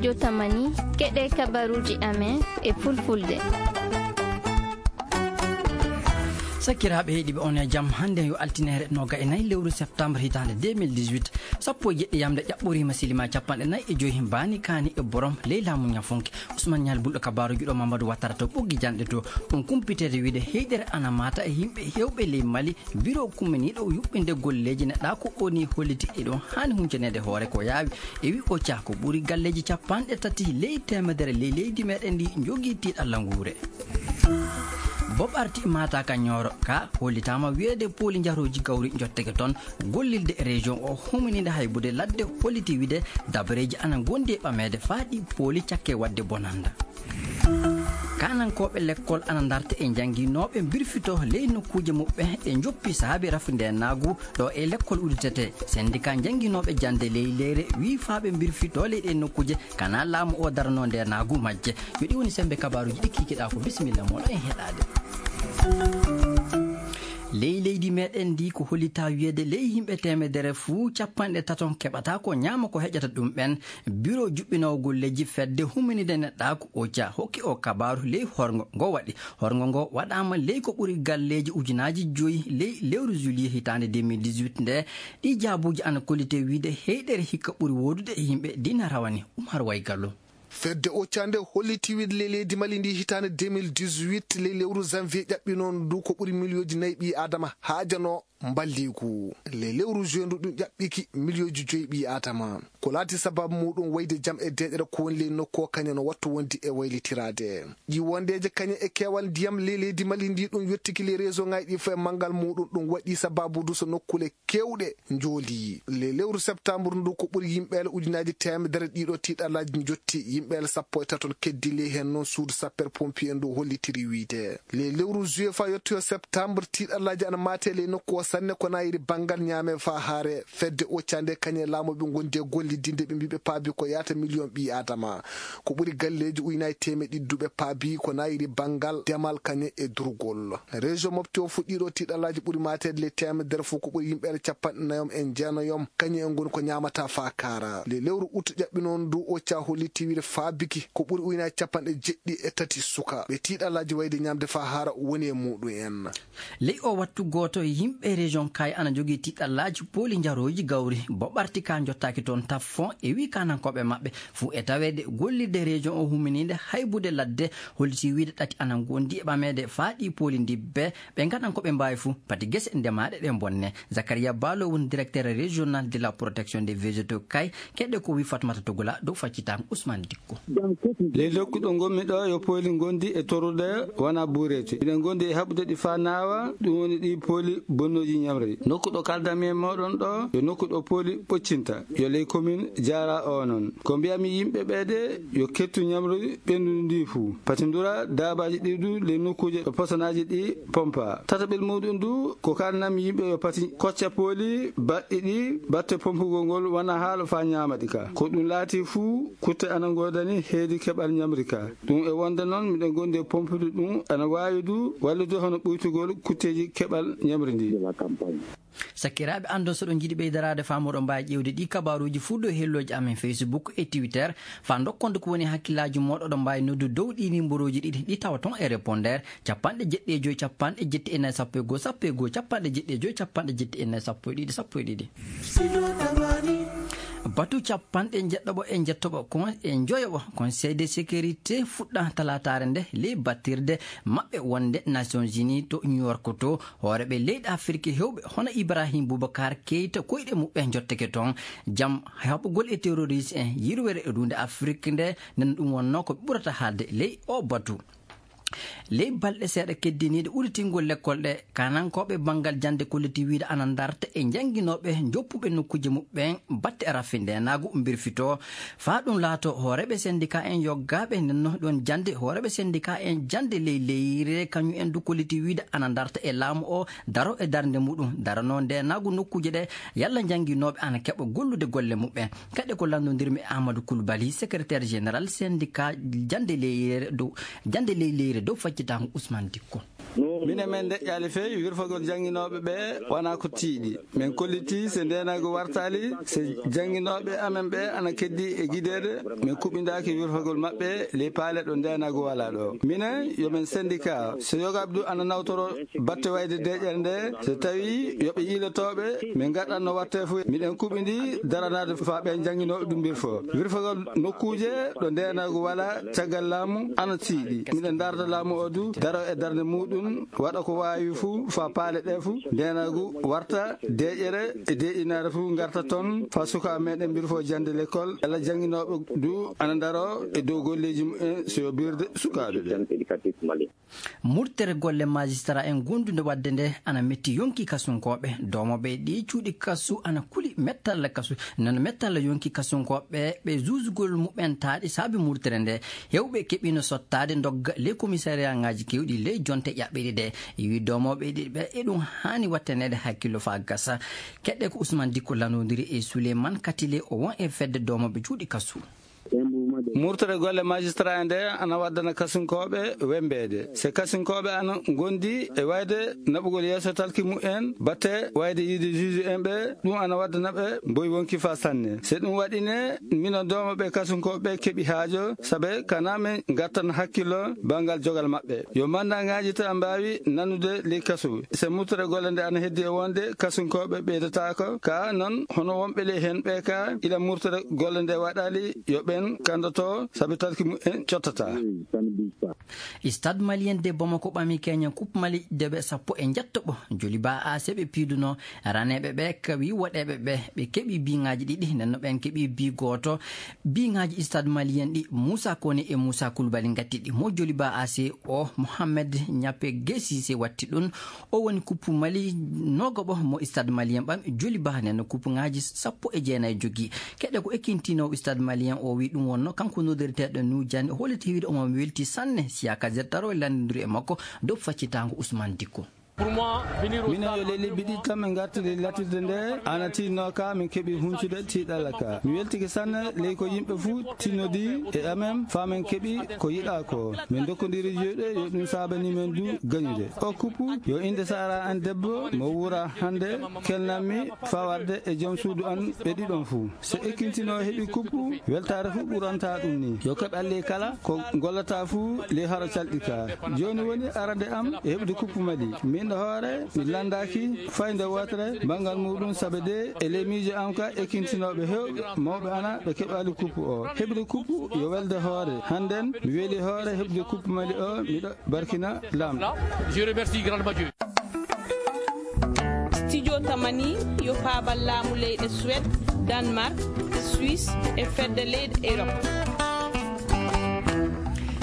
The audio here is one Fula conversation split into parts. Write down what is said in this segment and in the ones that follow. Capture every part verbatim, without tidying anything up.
Jotamani, keɗe kabaruuji amen e fulfulde. Sakiraaɓe heɗiiɓe, on e jam. Hannde yo altineere noga e nayi lewru septembre hitaande deux mille dix-huit. Sappo e jeɗɗi yamde ƴaɓɓoriima silima capanɗe nayi e joyi mbaani kaani e borom ley laamu ñafunke. Ousmane Ñaali Bulɗo kabaaruuji ɗo Mamadou Wattara to ɓoggi janɗe to. Ɗum kumpiteede wiide heyɗere ana maata e yimɓe heewɓe ley Mali. Biro kumminiiɗo yuɓɓinde golleeji neɗɗaaku o ni holliti eɗon haani huncaneede hoore ko yaawi. E wi o caa ko ɓuri galleeji capanɗe tati ley teemedere ley leydi meɗen ndi njogii tiiɗalla nguure. Bob arti maata ka ñooro ka hollitaama wiyeede pooli njarooji gawri njotteke toon. Gollilde région o huminiinde haybude ladde holliti wiide dabareeji ana ngondi e ɓameede faa ɗi pooli cakke waɗde bonanda. Kaanankooɓe lekkol ana ndarta e njannginooɓe mbirfito ley nokkuuje muɓɓen e njoppi saabi rafindeenaagu ɗo e lekkol udditetee. Sendika njannginooɓe jannde ley leyre wii faa ɓe mbirfito ley ɗee nokkuuje kana laamu o daranoo ndeenaagu majje. Yo ɗi woni semmbe kabaaruuji ɗi kiikiɗaa ko bisimilla mooɗon en heɗaade. Ley leydi meɗen ndi ko hollitaa wiyeede ley yimɓe teemedere fuu capanɗe taton keɓata ko ñaama ko heƴata ɗum ɓen. Biro juɓɓinoowo golleeji fedde humminide neɗɗaaku oca hokki o kabaaru ley horngo ngo waɗi. Horngo ngo waɗaama ley ko ɓuri galleeji ujunaaji joyi ley lewru juillet hitaande deux mille dix-huit nde. Ɗi jaabuuji ana kollite wiide heyɗere hikka ɓuri woodude e yimɓe dina rawani. Umar Waygallo. Fedde oca nde holliti wiide ley leydi Mali ndi hitaande deux mille dix-huit ley lewru janvier ƴaɓɓinoo ndu ko ɓuri miliyooji nayi ɓii Aadama haajanoo mballigu. Ley lewru juin ndu ɗum ƴaɓɓiki miliyooji joyi ɓii Aadama. Ko laati sababu muɗum wayde jam e deeƴere ko woni ley nokku o kañe no wattu wondi e waylitiraade. Ɗi wondeeje kañe e keewal ndiyam ley leydi Mali ndi ɗum yottiki ley réseau ŋaaji ɗi fof e manngal muɗum ɗum waɗi sababu du so nokkule keewɗe njooli. Ley lewru septembre ndu ko ɓuri yimɓeele ujunaaji teemedere ɗiɗo tiiɗallaaji njotti yimɓeele sappo e taton keddi ley heen noon suudu sapper pompier ndu hollitiri wiide. Ley lewru juillet faa yottoyo septembre tiiɗallaaji ana maate ley nokku o sanne ko nayiri banngal ñaame faa haare fedde oca nde kañe laamu ɓe ngondi e gollidinde ɓe mbiɓe paabi ko yaata miliyon ɓii Aadama. Ko ɓuri galleeji ujunaaji teemeɗe ɗiɗi duɓe paabi ko nayiri banngal demal kañe e durgol. Région Mopti o fuɗɗiiɗo tiiɗallaaji ɓuri maateede ley teemedere fof ko ɓuri yimɓeere capanɗe nayom e jeenayom kañum en ngoni ko ñaamata faa kaara. Ley lewru ut ƴaɓɓinoon ndu oca holliti wiide faa biki ko ɓuri ujunaaji capanɗe jeɗɗi e tati suka ɓe tiiɗallaaji wayde ñaamde faa haara woni e muɗum en. Ley o wattu gooto yimɓe région Kay ana jogii tiiɗallaaji pooli njarooji gawri bo ɓarti ka jottaaki toon taf fon e wii kaanankooɓe maɓɓe fuu e taweede gollirde région o humminiinde haybude ladde holliti wiide ɗati ana ngondi e ɓameede faa ɗi pooli ndibbe ɓe ngaɗan ko ɓe mbaawi fuu pati gese ndemaaɗe ɗe bonne. Zakaria Balo woni directeur régional de la protection des végétaux Kay. Keɗɗe ko wi Fatmata Togola dow faccitam Ousmane Dikko. Ley nokku ɗo ngonmi ɗo yo pooli ngondi e torrude wona buureete. Miɗen ngondi e haɓude ɗi faa naawa, ɗum woni ɗi pooli bonnooji ñamri. Nokku ɗo kaldanmi e mooɗon ɗo, yo nokku ɗo pooli ɓoccinta. Yo ley commune Jaara o noon. Ko mbiyami yimɓe ɓe de, yo kettu ñamri ɓenndu ndi fuu. Pati ndura daabaaji ɗi du ley nokkuuje ɗo posonaaji ɗi pompa. Tataɓel muɗum du, ko kaldanmi yimɓe yo pati kocca pooli baɗɗi ɗi, batte pompugol ngol wona haalo faa ñaama ɗi ka. Ko ɗum laati fuu, kutte ana ngoodani heedi keɓal ñamri ka. Ɗum e wonde noon, miɗen ngondi e pompude ɗum, ana waawi du wallude hono ɓuytugol kutteeji keɓal ñamri ndi. Sakiraaɓe, anndon so ɗon njiɗi ɓeydaraade faa moɗon mbaawi ƴeewde ɗi kabaaruuji fuu dow hellooji amen Facebook e Twitter. Faa ndokkonde ko woni hakkillaaji mooɗon, oɗon mbaawi noddu dow ɗi nimborooji ɗiɗi ɗi tawa toon e répondeur, capanɗe jeɗɗi e joy, capanɗe jeɗɗi e nayi, sappo e goo, sappo e goo, capanɗe jeɗɗi e joy, capanɗe jeɗɗi e nayi, sappo e ɗiɗi, sappo e ɗiɗi. Batu capanɗe njeɗɗoɓo e njettoɓo ko e njoyoɓo Conseil de sécurité fuɗɗa talaataare nde ley battirde maɓɓe wonde Nations Unies to New York to. Hooreeɓe leyɗe Afirki heewɓe hono Ibrahim Boubacar Keita koyɗe muɓɓe njotteke toon. Jam haɓugol e terroriste en yirwere e duunde Afirki nde, nden ɗum wonnoo ko ɓurata haalde ley o batu. Ley balɗe seeɗa keddiniiɗe udditingol lekkol ɗe, kaanankooɓe banngal jannde kolliti wiide ana ndarta e njannginooɓe njoppuɓe nokkuuje muɓɓen batte e raffindeenaagu mbirfitoo. Faa ɗum laato hooreeɓe sendika en yoggaaɓe ndenno ɗon jannde, hooreeɓe sendika en jannde ley leyre kañum en du kolliti wiide ana ndarta e laamu o daro e darnde muɗum daranoo ndeenaagu nokkuuje ɗe yalla njannginooɓe ana keɓa gollude golle muɓɓen. Kadi ko lanndondirmi e Amadou Coulibaly, secrétaire général syndicat jannde ley leyre dow, jannde ley leyre dow faccitaango Ousmane Dikko. Minen men ndeƴƴaali fey wirfagol jannginooɓe ɓe wonaa ko tiiɗi. Min kollitii se ndeenaagu wartaali, se jannginooɓe amen ɓe ana keddii e gideede, min kuɓindaaki wirfagol maɓɓe ley paale ɗo ndeenaagu walaa ɗo. Minen yo men sendika, so yogaaɓe du ana nawtoro batte wayde deƴƴere nde, so tawii yo ɓe yiilotooɓe, min ngaɗatno wattee fof, miɗen kuɓindi daranaade faa ɓeen jannginooɓe ɗum mbirfoo. Wirfagol nokkuuje ɗo ndeenaagu walaa caggal laamu ana tiiɗi. Miɗen ndaarda laamu o du daro e darnde muuɗum, waɗa ko waawi fuu faa paale ɗee fuu ndeenaagu warta deƴƴere e deƴƴinaare fuu ngarta toon faa sukaaɓe meɗen mbirfoo jannde lekkol. Yalla jannginooɓe du ana ndaroo e dow golleeji mumen so yo birde sukaaɓe ɓe. Murtere golle majistara en gondunde wadde nde ana metti yonki kasunkooɓe. Doomooɓe ɗi cuuɗi kasu ana kuli mettalla kasu, nono mettalla yonki kasunkooɓe ɓe juusugol mumen taaɗi saabi murtere nde. Hewɓe keɓino sottaade ndogga ley komisariyaŋaaji kewɗi ley jonte ƴaɓɓiɗi ɗe. Wi doomooɓe ɗiɗi ɓe e ɗum haani watteneede hakkillo faa gasa. Keɗɗe ko Usman Dikko lanondiri e Suleyman Katile, o won e fedde doomooɓe cuuɗi kasu. Murtere golle majistara en nde ana waddana kasunkooɓe wembeede. Se kasunkooɓe ana ngondi e wayde naɓugol yeeso talki mumen, batte wayde yiide juge en ɓe, ɗum ana waddana ɓe mboy wonki faa sanne. Se ɗum waɗine, mino doomooɓe kasunkooɓe ɓe keɓi haajo, sabe kana men ngattan hakkillo banngal jogal maɓɓe. Yo mandaŋaaji ta mbaawi nanude ley kasu. Se murtere golle nde ana heddi e wonde kasunkooɓe ɓeydataako, ka non hono wonɓe ley hen ɓe ka ila murtere golle nde waɗali yo ɓen kandoto sabi talki mumen cottata. Stade malien de Bamako ɓami Kenya Coupe Mali debe sappo e njettoɓo. Joli ba A C ɓe piiduno raneeɓe ɓe kawi woɗeeɓe ɓe, ɓe keɓi biŋaaji ɗiɗi, nden no ɓen keɓi bi gooto. Biŋaaji Stade malien ɗi Moussa Kone e Moussa Koulibaly ngatti ɗi. Mo joli ba A C o Mohamed Nyape Gesise watti ɗum. O woni kuppu Mali nogoɓo mo Stade malien ɓam joli ba nden no kuppuŋaaji sappo e jeenayi jogi. Keɗe ko ekkintinoowo Stade malien o wi ɗum wonno kanko nodirteeɗo Nujani, o holliti wiide omo welti sanne. Siya Kader Taro e lanndondiri e makko dow faccitaango Ousmane Dikko. Minen yo ley lebbi ɗiɗi tan min ngartiri latirde nde ana tinno ka min keɓi huncude tiiɗalla ka. Mi weltike sanne ley ko yimɓe fuu tinnodi e amen faa min keɓi ko yiɗaa ko. Min dokkondiri juuɗe yo ɗum saabani men du gañude. O kuppu yo innde Sahara an debbo mo wuura hannde kelnanmi faa warde e joom suudu an ɓe ɗiɗon fuu. So ekkintinoo heɓi kuppu, weltaare fuu ɓuranta ɗum ni. Yo keɓ alli kala ko gollata fuu ley haro calɗi ka. Jooni woni arande am e heɓde kuppu Mali. Min ɗo hoore mi lanndaaki fayde wootere banngal muuɗum sabe de e ley miijo am ka ekkintinooɓe heewɓe mawɓe ana ɓe keɓaali kuppu o. Heɓde kuppu yo welde hoore. Hannden mi weli hoore heɓde kuppu Mali o, miɗo barkina laamɗo. Je remercie grandement Dieu. Studio Tamani yo faabal laamu leyɗe Suède, Danemark, Suisse e fedde leyɗe Europe.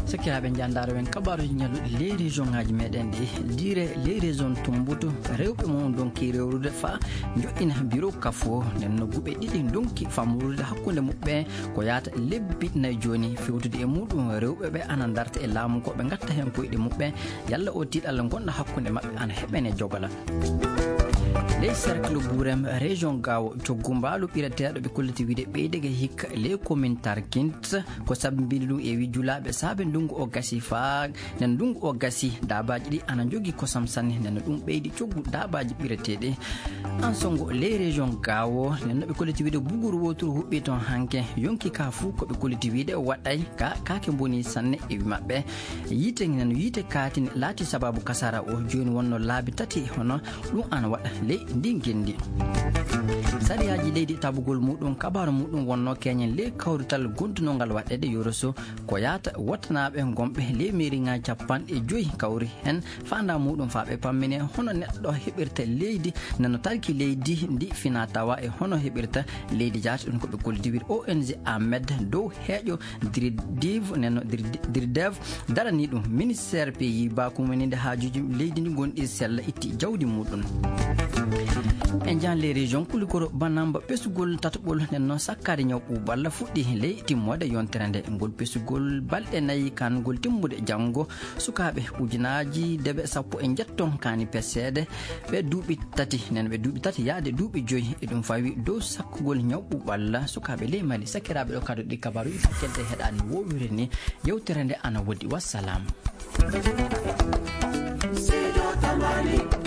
Sakiraaɓe, njandaaro wen kabaaruuji ñalluɗi ley région ŋaaji meɗen ɗi. Dire ley région Tumbutu, rewɓe mum donki rewrude faa joɗɗina biro kafo. Nden no guɓe ɗiɗi donki famrude hakkunde muɓɓe ko yaata lebbi nayi jooni. Fewtude e muɗum rewɓe ɓe ana darta e laamu ko ɓe ngatta heen koyɗe muɓɓe. Yalla o tiiɗalla ngonɗo hakkunde maɓɓe ana heɓene jogola. Ley cercle Burem région Gaawo, coggu mbaalu ɓireteeɗo ɓe kolliti wiide ɓeydege hikka ley commune Tarkint, ko sabi mbindi ɗum e wi julaaɓe saabe ndungu o gasi faa nden ndungu o gasi daabaaji ɗi ana njogi kosam sanne, nden ɗum ɓeydi coggu daabaaji ɓireteeɗi. An songo ley région Gaawo, nden no ɓe kolliti wiide buguru wooturu huɓɓi toon hanke, yonki ka fuu ko ɓe kolliti wiide waɗay ka kaake mboni sanne e wi maɓɓe. Yiite ngen no yiite kaatini laati sababu kasara o jooni wonno laabi tati hono ɗum ana waɗa ley ndi ngenndi. Sariyaaji leydi tabugol muɗum kabaaru muɗum wonno keñen ley kawrital gondunongal waɗeede yoroso ko yaata wottanaaɓe gonɓe ley meeriŋaaji capanɗe joyi kawri heen faandaa muɗum faa ɓe pammine hono neɗɗo heɓirta leydi nano tarki leydi ndi fina tawa e hono heɓirta leydi jaati ɗum ko ɓe kolliti wiide O N G Ahmed dow heeƴo Diridiv neno Diridev darani ɗum ministère pays bakumaninde haajuuji leydi ndi gonɗi sella itti jawdi muɗum. E jan les régions kulikoro banamba ɓesgol tataɓol nenno sakkade ñaw ɓuuɓalla fuɗɗi ley timmoode yontere nde ngol ɓesgol balɗe nayi kangol timmude janngo sukaaɓe ujunaaji deɓe sappo e njetton kani peseede ɓe duuɓi tati nen ɓe duuɓi tati yaade duuɓi joyi e ɗum fawi dow sakkugol ñaw ɓuuɓalla sukaaɓe ley mali sakiraaɓe ɗo kado ɗi kabaru ifa kelde heɗani wowire ni. Yewtere nde ana wodi wassalam. Sido Tamani.